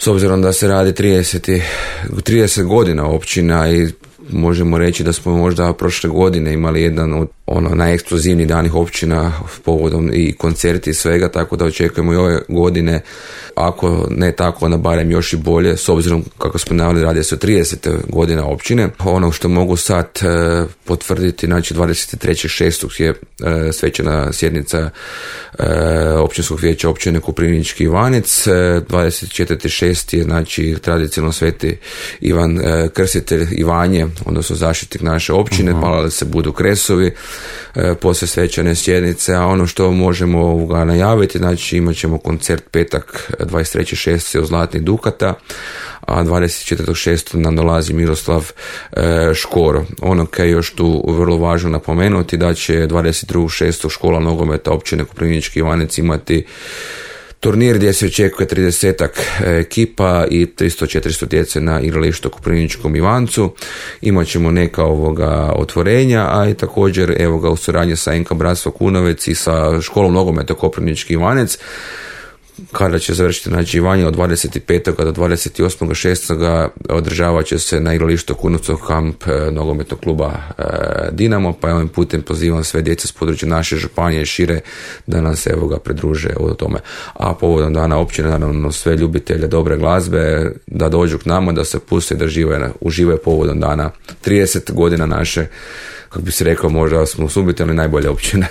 obzirom da se radi 30 godina općina i možemo reći da smo možda prošle godine imali jedan od najeksplozivnijih danih općina povodom i koncerti i svega, tako da očekujemo i ove godine, ako ne tako, onda barem još i bolje, s obzirom kako smo naveli, radi se o 30 godina općine. Ono što mogu sad potvrditi, znači 23.6. je svečana sjednica općinskog vijeća općine Koprivnički Ivanec, 24.6. je znači tradicionalno Sveti Ivan Krstitelj Ivanje, odnosno zaštitnik naše općine, palili se budu kresovi poslije svečane sjednice, a ono što možemo najaviti, znači imat ćemo koncert petak 23.6. u Zlatnih Dukata, a 24.6. nam dolazi Miroslav Škoro. Ono kaj je još tu vrlo važno napomenuti, da će 22.6. škola nogometa općine Koprivnički Ivanec imati turnir gdje se očekuje 30 ekipa i 300-400 djece na igralištu Koprivničkom Ivancu. Imat ćemo neka otvorenja, a i također u suradnji sa NK Bratstvo Kunovec i sa školom nogometa Koprivnički Ivanec, kada će završiti znači Ivanje od 25. do 28.6. održavat će se na igralištu Kunovcov kamp nogometnog kluba Dinamo, pa ovim putem pozivam sve djece s područja naše županije i šire da nam se pridruže u tome. A povodom dana općine, naravno sve ljubitelje dobre glazbe da dođu k nama, da se puste i da uživaju povodom dana 30 godina naše, kako bi se rekao, možda smo subitelni najbolje općine.